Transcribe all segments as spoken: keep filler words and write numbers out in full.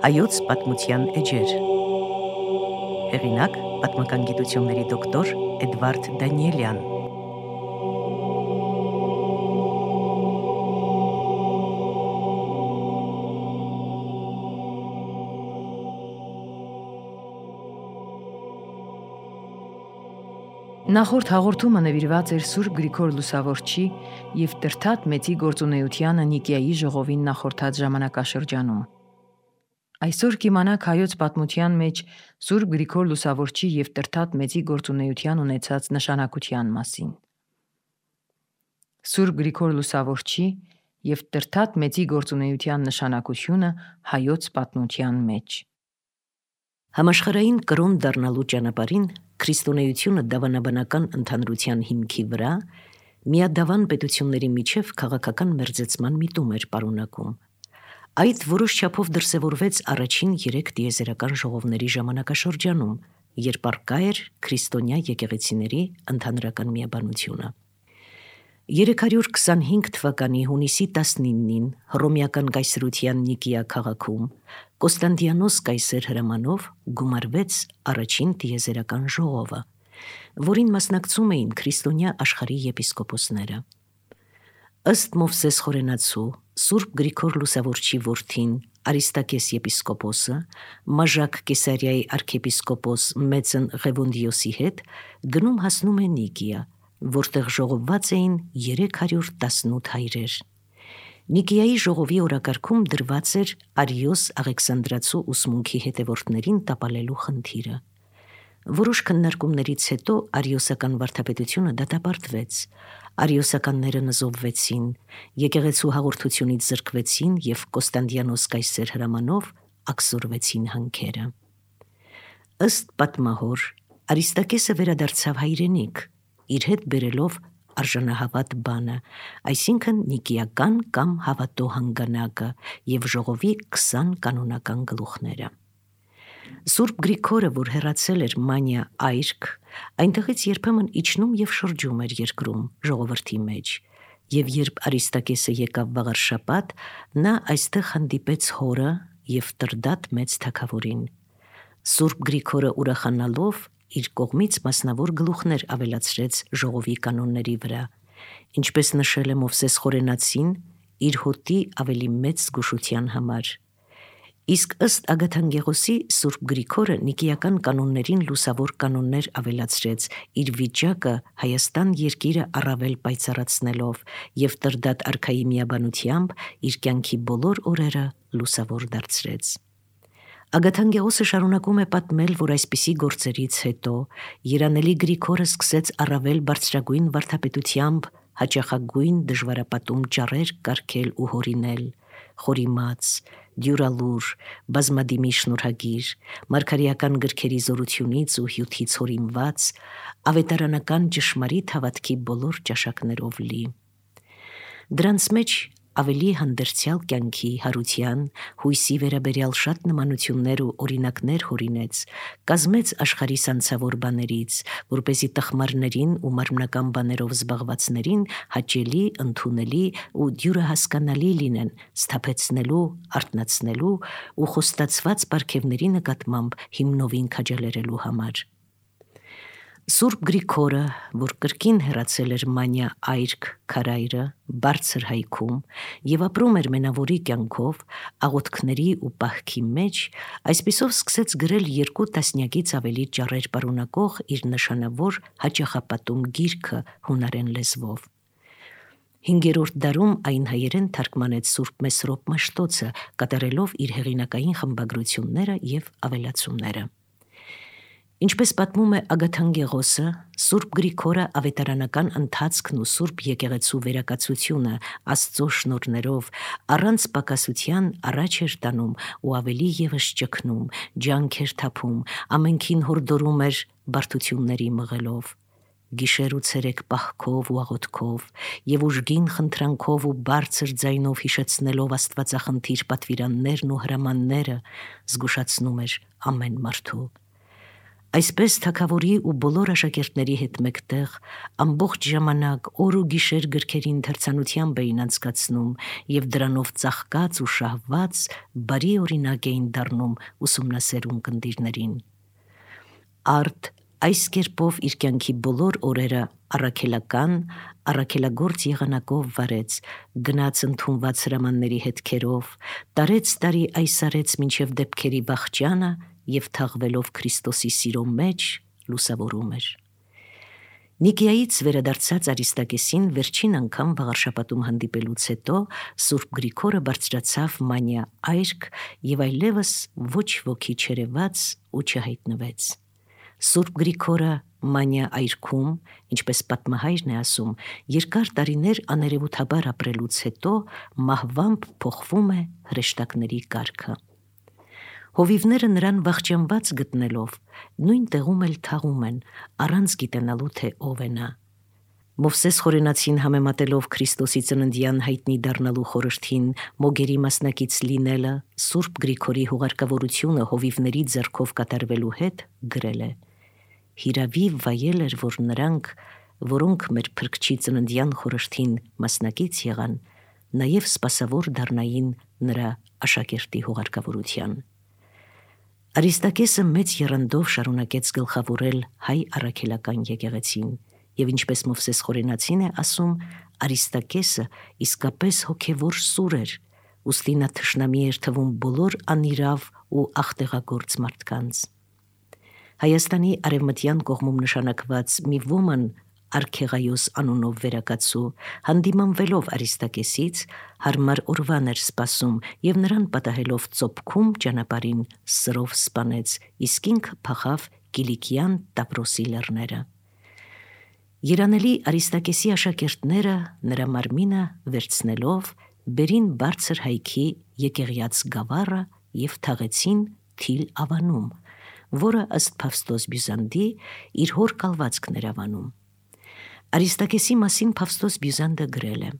Հայոց պատմության էջեր։ Հեղինակ պատմական գիտությունների դոկտոր Էդվարդ Դանիելյան։ Նախորդ հաղորդումը նվիրված էր Սուրբ Գրիգոր Լուսավորչի և Տրդատ Մեծի գործունեությանը Նիկիայի ժողովին նախորդած ժամանակաշրջանում։ Այսօր կիմանաք հայոց պատմության մեջ Սուրբ Գրիգոր Լուսավորչի և Տրդատ Մեծի գործունեության ունեցած նշանակության մասին։ Սուրբ Գրիգոր Լուսավորչի և Տրդատ Մեծի գործունեության նշանակությունը հայոց պատմության մեջ։ Համաշխարհային կրոն դառնալու ճանապարհին քրիստոնեությունը դավանաբանական ընդհանրության հիմքի վրա միադավան պետությունների միջև քաղաքական մերձեցման միտում էր պարունակում։ Այդ որոշ չափով դրսևորվեց առաջին երեք տիեզերական ժողովների ժամանակաշրջանում, երբ առկա էր քրիստոնյա եկեղեցիների ընդհանրական միաբանությունը։ երեք հարյուր քսանհինգ թվականի հունիսի տասնինին հռոմեական կայսրության Նիկիա քաղաքում Կոստանդիանոս կայսեր հրամանով գումարվեց առաջին տիեզերական ժողովը, որին մասնակցում էին քրիստոնյա աշխարհի եպիսկոպոսները։ Ըստ Մովսես խորենացու Սուրբ Գրիգոր Լուսավորչի որդին Արիստակես եպիսկոպոսը Մաժակ Կեսարիայի արքեպիսկոպոս Մեծն Ղևոնդիոսի հետ գնում հասնում է Նիկիա, որտեղ ժողովված էին երեք հարյուր տասնութ հայրեր։ Նիկիայի ժողովի օրակարգում դրված էր Արիոս Աղեքսանդրացու ուսմունքի հետևորդներին տապալելու խնդիրը։ Որոշ քննարկումներից հետո արիոսական վարդապետությունը դատապարտվեց, արիոսականները նզովվեցին, եկեղեցու հաղորդությունից զրկվեցին և Կոստանդիանոս կայսեր հրամանով աքսորվեցին հանքերը։ Ըստ պատմահոր Արիստակեսը վերադարձավ հայրենիք, իր հետ բերելով արժանահավատ բանը, այսինքն նիկիական կամ հավատո հանգանակը և ժողովի քսան կանոնական գլուխները։ Սուրբ Գրիգորը, որ հեռացել էր Մանիա այրք, այնտեղից երբեմն իջնում և շրջում էր երկրում ժողովրդի մեջ, և երբ Արիստակեսը եկավ վաղարշաբաթ, նա այստեղ հանդիպեց հորը և Տրդատ Մեծ թագավորին։ Սուրբ Գրիգորը ուրախանալով իր կողմից մասնավոր գլուխներ ավելացրեց ժողովի կանոնների վրա, ինչպես նշել է Մովսես խորենացին իր հոտի ավելի մեծ զգուշության համար։ Իսկ ըստ Ագաթանգեղոսի Սուրբ Գրիգորը նիկիական կանոններին լուսավոր կանոններ ավելացրեց, իր վիճակը Հայաստան երկիրը առավել պայծառացնելով և Տրդատ արքայի միաբանությամբ իր կյանքի բոլոր օրերը լուսավոր դարձրեց։ Ագաթանգեղոսը շարունակում է պատմել, որ այսպիսի գործերից հետո երանելի Գրիգորը սկսեց առավել բարձրագույն վարդապետությամբ հաճախագույն դժվարապատում ճառեր կարգել ու հորինել, խորիմաց, դյուրալուր, բազմադիմի շնորհագիր, մարգարեական գրքերի զորությունից ու հյութից հորինված, ավետարանական ճշմարիտ հավատքի բոլոր ճաշակներով լի։ Դրանց մեջ ավելի հանդերձյալ կյանքի, հարության, հույսի վերաբերյալ շատ նմանություններ ու օրինակներ հորինեց, կազմեց աշխարհի սանձավոր բաներից, որպեսզի տխմարներին ու մարմնական բաներով զբաղվածներին հաճելի, ընդունելի ու դյուրահասկանալի լինեն սթափեցնելու, արթնացնելու ու խոստացված պարգևների նկատմամբ հիմնովին քաջալերելու համար։ Սուրբ Գրիգորը, որ կրկին հեռացել էր Մանիա այրք քարայրը բարձր հայքում և ապրում էր մենավորի կյանքով, աղոթքների ու պահքի մեջ, այսպիսով սկսեց գրել երկու տասնյակից ավելի ճառեր պարունակող իր նշանավոր հաճախապատում գիրքը հունարեն լեզվով։ Հինգերորդ դարում այն հայերեն թարգմանեց Սուրբ Մեսրոպ Մաշտոցը, կատարելով իր հեղինակային խմբագրությունները և ավելացումները։ Ինչպես պատմում է Ագաթանգեղոսը, Սուրբ Գրիգորը ավետարանական ընթացքն ու Սուրբ եկեղեցու վերակացությունը Աստծո շնորհներով առանց պակասության առաջ էր տանում ու ավելի ևս ճգնում, ջանք էր թափում, ամենքին հորդորում էր բարդությունների մղելով, գիշեր ու ցերեկ պահքով ու աղոթքով և ուժգին խնդրանքով ու բարձր ձայնով հիշեցնելով աստվածախնդիր պատվիրաններն ու հրամանները զգուշացնում էր ամեն մարդու։ Այսպես թագավորի ու բոլոր աշակերտների հետ մեկտեղ ամբողջ ժամանակ օր ու գիշեր գրքերի ընթերցանությամբ էին անցկացնում և դրանով ծաղկած ու շահված բարի օրինակ էին դառնում ուսումնասերուն կնդիրներին։ Արդ այս կերպով իր կյանքի բոլոր օրերը առաքելական, առաքելագործ եղանակով վարեց, գնաց ընդունված հրամանների հետքերով, տարեց տարի այս արեց մինչև դեպքերի վախճանը և թաղվելով Քրիստոսի սիրո մեջ լուսավորում էր։ Նիկիայից վերադարձած Արիստակեսին վերջին անգամ վաղարշաբաթում հանդիպելուց հետո Սուրբ Գրիգորը բարձրացավ Մանիա այրք և այլևս ոչ ոքի չերևաց ու չհայտնվեց։ Սուրբ Գրիգորը Մանիա այրքում, ինչպես պատմահայրն է ասում, երկար տարիներ աներևութաբար ապրելուց հետո մահվամբ փոխվում է հրեշտակների կարգը։ Հովիվները նրան վախճանված գտնելով նույն տեղում էլ թաղում են, առանց գիտենալու թե ով է նա։ Մովսես Խորենացին համեմատելով Քրիստոսի ծննդյան հայտնի դառնալու խորհրդին մոգերի մասնակից լինելը Սուրբ Գրիգորի հուղարկավորությունը հովիվների ձեռքով կատարվելու հետ գրել է. «Հիրավի վայել էր, որ նրանք, որոնք մեր Փրկչի ծննդյան խորհրդին մասնակից եղան, նաև սպասավոր դառնային նրա աշակերտի հուղարկավորության»։ Արիստակեսը մեծ եռանդով շարունակեց գլխավորել հայ առաքելական եկեղեցին, և ինչպես Մովսես Խորենացին է ասում, Արիստակեսը իսկապես հոգևոր սուր էր, ուստի նա թշնամի էր թվում բոլոր անիրավ ու աղտեղագործ մարդկանց։ Հայաստանի արևմտյան կողմում նշանակված մի ոման Արքեղայոս անունով վերակացու, հանդիմանվելով Արիստակեսից, հարմար օրվան էր սպասում և նրան պատահելով ծոփքում ճանապարհին սրով սպանեց, իսկ ինքը փախավ Կիլիկյան Տավրոսի լեռները։ Երանելի Արիստակեսի աշակերտները նրա մարմինը վերցնելով բերին բարձր հայքի Եկեղյաց գավառը և թաղեցին Թիլ ավանում, որը ըստ Փավստոս Բյուզանդի իր հոր կալվածքն էր ավանում։ Արիստակեսի մասին Փավստոս Բյուզանդը գրել է.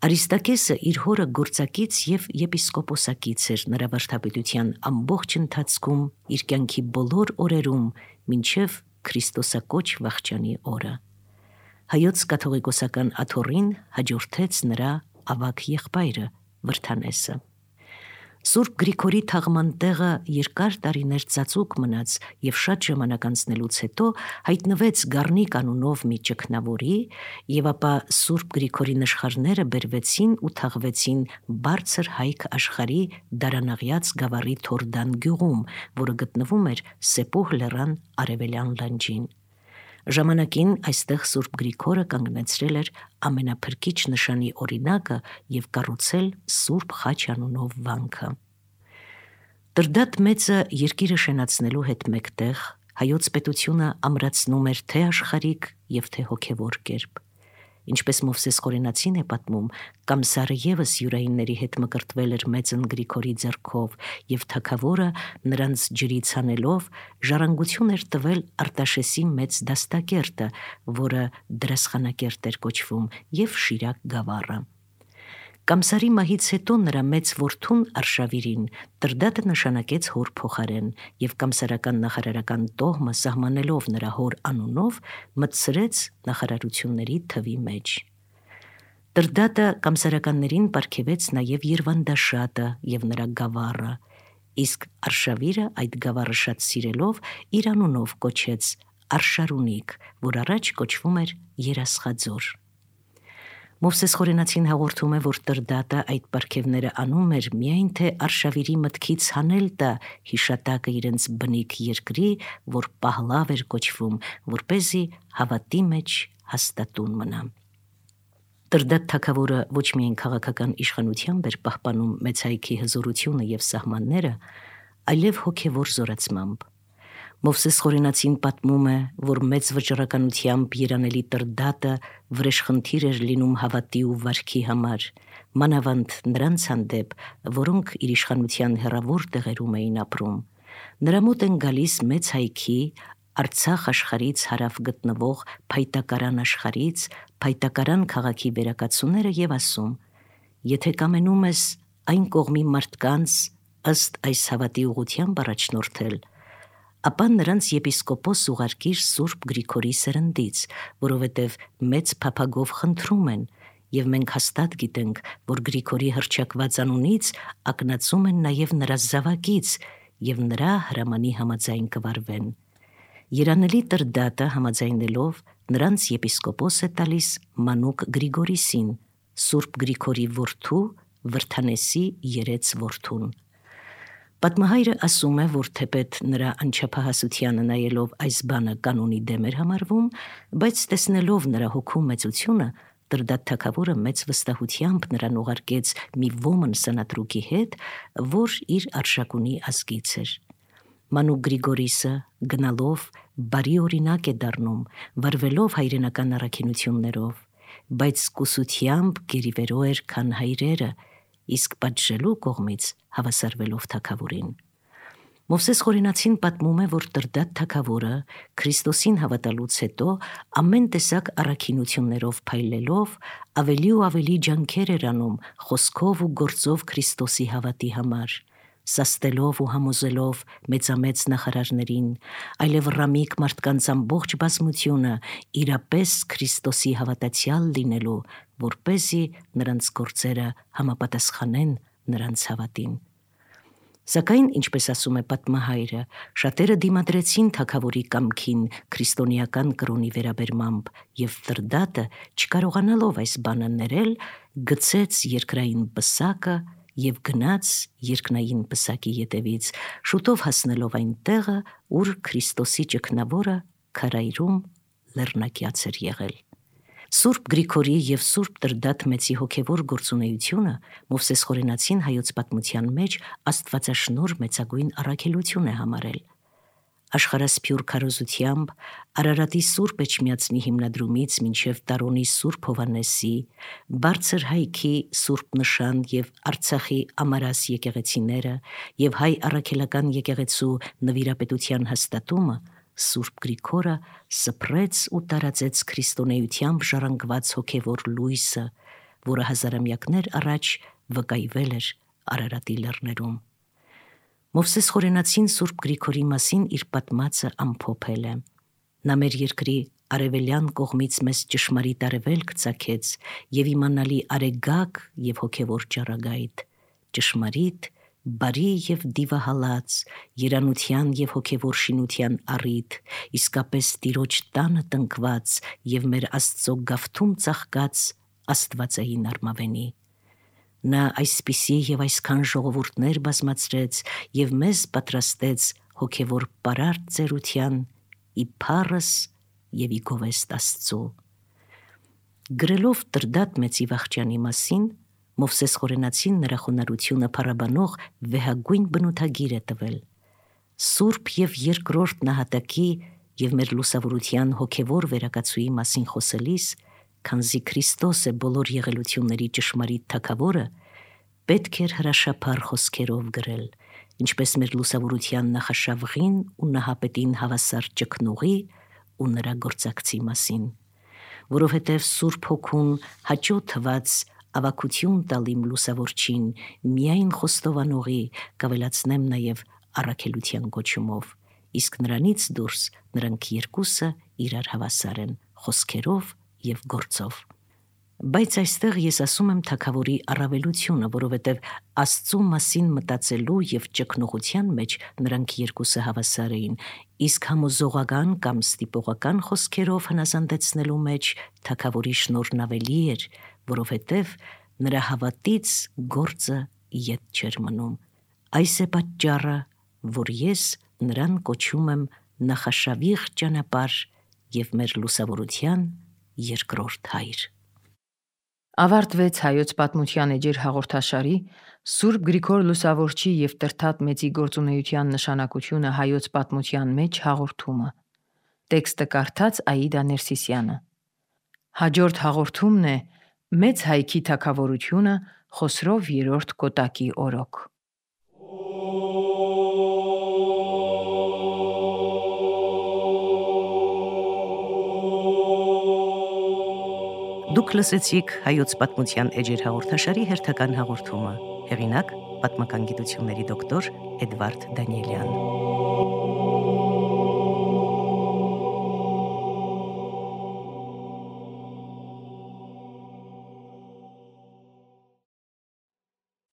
Արիստակեսը իր հորը գործակից և եպիսկոպոսակից էր նրա վարդապետության ամբողջ ընթացքում իր կյանքի բոլոր օրերում մինչև Քրիստոսակոչ վախճանի օրը։ Հայոց կաթողիկոսական աթոռին հաջորդեց նրա ավագ եղբայրը Վրդանեսը։ Սուրբ Գրիգորի թաղման տեղը երկար տարիներ ծածուկ մնաց և շատ ժամանակ անցնելուց հետո հայտնվեց Գառնիկ անունով մի ճգնավորի, և ապա Սուրբ Գրիգորի նշխարները բերվեցին ու թաղվեցին բարձր հայք աշխարհի Դարանաղյաց գավառի Թորդան գյուղում, որը գտնվում էր Սեպուհ լեռան արևելյան լանջին։ Ժամանակին այստեղ Սուրբ Գրիգորը կանգնեցրել էր ամենափրկիչ նշանի օրինակը և կառուցել Սուրբ Խաչ անունով վանքը։ Տրդատ մեծը երկիրը շենացնելու հետ մեկտեղ հայոց պետությունը ամրացնում էր թե աշխարհիկ և թե հոգևոր կերպ։ Ինչպես Մովսես Խորենացին է պատմում, Կամսարը ևս յուրայինների հետ մկրտվել էր մեծն Գրիգորի ձեռքով, և թագավորը նրանց ջրից հանելով ժառանգություն էր տվել Արտաշեսի մեծ դաստակերտը, որը Դրասխանակերտ էր կոչվում, և Շիրակ գավառը։ Կամսարի մահից հետո նրա մեծ որդուն Արշավիրին Տրդատը նշանակեց հոր փոխարեն, և կամսարական նախարարական տոհմը սահմանելով նրա հոր անունով մտցրեց նախարարությունների թվի մեջ։ Տրդատը կամսարականներին պարգևեց նաև Երվանդաշատը և նրա գավառը, իսկ Արշավիրը այդ գավառը շատ սիրելով իր անունով կոչեց Արշարունիք, որ առաջ կոչվում էր Երասխաձոր։ Մովսես Խորենացին հաղորդում է, որ Տրդատը այդ պարգևները անում էր միայն թե Արշավիրի մտքից հանել տա հիշատակը իրենց բնիկ երկրի, որ Պահլավ էր կոչվում, որպեսզի հավատի մեջ հաստատուն մնա։ Տրդատ թագավորը ոչ միայն քաղաքական իշխանությամբ էր պահպանում մեծ հայքի հզորությունը և սահմանները, այլև հոգևոր զորացմամբ։ Մովսես Խորենացին պատմում է, որ մեծ վճռականությամբ երանելի Տրդատը վրեժխնդիր էր լինում հավատի ու վարքի համար, մանավանդ նրանց հանդեպ, որոնք իր իշխանության հեռավոր տեղերում էին ապրում։ Նրա մոտ են գալիս մեծ հայքի, Արցախ աշխարհից հարավ գտնվող Փայտակարան աշխարհից Փայտակարան քաղաքի վերակացուները և ասում. «Եթե կամենում ես այն կողմի մարդկանց ըստ այս հավատի ուղղությամբ առաջնորդել, ապա նրանց եպիսկոպոս ուղարկիր Սուրբ Գրիգորի սերնդից, որովհետև մեծ փափագով խնդրում են, եւ մենք հաստատ գիտենք, որ Գրիգորի հռչակված անունից ակնածում են նաև նրա զավակից եւ նրա հրամանի համաձայն կվարվեն։ Երանելի Տրդատը համաձայնելով նրանց եպիսկոպոս է տալիս Մանուկ Գրիգորիսին, Սուրբ Գրիգորի որդու Վրթանեսի երեց որդուն։ Պատմահայրը ասում է, որ թեպետ նրա անչափահասությանը նայելով այս բանը կանոնի դեմ էր համարվում, բայց տեսնելով նրա հոգու մեծությունը, Տրդատ թագավորը մեծ վստահությամբ նրան ուղարկեց մի ոմն սանատրուկի հետ, որ իր արշակունի ազգից էր։ Մանուկ Գրիգորիսը գնալով բարի օրինակ է դառնում, վարվելով հայրենական առաքինություններով, բայց կուսությամբ գերիվերո էր, քան հայրերը, իսկ պատժելու կողմից հավասարվելով թագավորին։ Մովսես Խորենացին պատմում է, որ Տրդատ թագավորը Քրիստոսին հավատալուց հետո ամեն տեսակ առաքինություններով փայլելով ավելի ու ավելի ջանքեր էր անում խոսքով ու գործով Քրիստոսի հավատի համար, սաստելով ու համոզելով մեծամեծ նախարարներին, այլև ռամիկ մարդկանց ամբողջ բազմությունը իրապես Քրիստոսի հավատացյալ լինելու, որպեսզի նրանց գործերը համապատասխանեն նրանց հավատին։ Սակայն, ինչպես ասում է պատմահայրը, շատերը դիմադրեցին թագավորի կամքին քրիստոնեական կրոնի վերաբերմամբ, եւ Տրդատը, չկարողանալով այս բանը ներել, գցեց երկրային պսակը եւ գնաց երկնային պսակի ետևից, շուտով հասնելով այն տեղը, ուր Քրիստոսի ճգնավորը քարայրում լեռնակյաց էր եղել։ Սուրբ Գրիգորի եւ Սուրբ Տրդատ մեծի հոգևոր գործունեությունը Մովսես Խորենացին հայոց պատմության մեջ աստվածաշնորհ մեծագույն առաքելություն է համարել։ Աշխարհասփյուռ քարոզությամբ Արարատի Սուրբ Էջմիածնի հիմնադրումից մինչև Տարոնի Սուրբ Հովհաննեսի, Բարձր Հայքի Սուրբ Նշան եւ Արցախի Ամարաս եկեղեցիները եւ հայ առաքելական եկեղեցու նվիրապետության հաստատումը Սուրբ Գրիգորը սփռեց ու տարածեց քրիստոնեությամբ ժառանգված հոգևոր լույսը, որը հազարամյակներ առաջ վկայվել էր Արարատի լեռներում։ Մովսես Խորենացին Սուրբ Գրիգորի մասին իր պատմածը ամփոփել է. Նա մեր երկրի արևելյան կողմից մեզ ճշմարիտ արևելք ծագեց եւ իմանալի արեգակ եւ հոգևոր ճառագայթ, ճշմարիտ, բարի եւ դիվահալած, երանության եւ հոգևոր շինության առիթ, իսկապես Տիրոջ տանը տնկված եւ մեր Աստծո գավթում ծաղկած աստվածային արմավենի։ Նա այսպիսի եւ այսքան ժողովուրդներ բազմացրեց եւ մեզ պատրաստեց հոգևոր պարարտ ծերության, ի փառս եւ ի գովեստ Աստծո։ Գրելով Տրդատ մեծի վախճանի մասին, Մովսես Խորենացին նրա խոնարհությունը փառաբանող վեհագույն բնութագիր է տվել։ Սուրբ եւ երկրորդ նահատակի եւ մեր լուսավորության հոգևոր վերակացուի մասին խոսելիս, քանզի Քրիստոս է բոլոր եղելությունների ճշմարիտ թագավորը, պետք էր հրաշափառ խոսքերով գրել, ինչպես մեր լուսավորության նախաշավղին ու նահապետին հավասար ճգնողի ու նրա գործակցի մասին, որովհետև Սուրբ Հոգուն հաճո թված ավակություն տալ իմ լուսավորչին, միայն խոստովանողի կավելացնեմ նաև առաքելության կոչումով, իսկ նրանից դուրս նրանք երկուսը իրար հավասար են խոսքերով եւ գործով։ Բայց այստեղ ես ասում եմ թագավորի առավելությունը, որովհետև Աստծո մասին մտածելու եւ ճգնողության մեջ նրանք երկուսը հավասար էին, իսկ համոզողական կամ ստիպողական խոսքերով հնազանդեցնելու մեջ թագավորի շնորհն ավելի էր, որովհետև նրա հավատից գործը ետ չէր մնում։ Այս է պատճառը, որ ես նրան կոչում եմ նախաշավիղ ճանապարհ եւ մեր լուսավորության երկրորդ հայր։ Ավարտվեց հայոց պատմության էջեր հաղորդաշարի Սուրբ Գրիգոր Լուսավորչի եւ Տրդատ մեծի գործունեության նշանակությունը հայոց պատմության մեջ հաղորդումը։ Տեքստը կարդաց Աիդա Ներսիսյանը։ Հաջորդ հաղորդումն է Մեծ հայքի թագավորությունը Խոսրով երրորդ Կոտակի օրոք։ Դուք լսեցիք հայոց պատմության էջեր հաղորդաշարի հերթական հաղորդումը։ Հեղինակ՝ պատմական գիտությունների դոկտոր Էդվարդ Դանիելյան։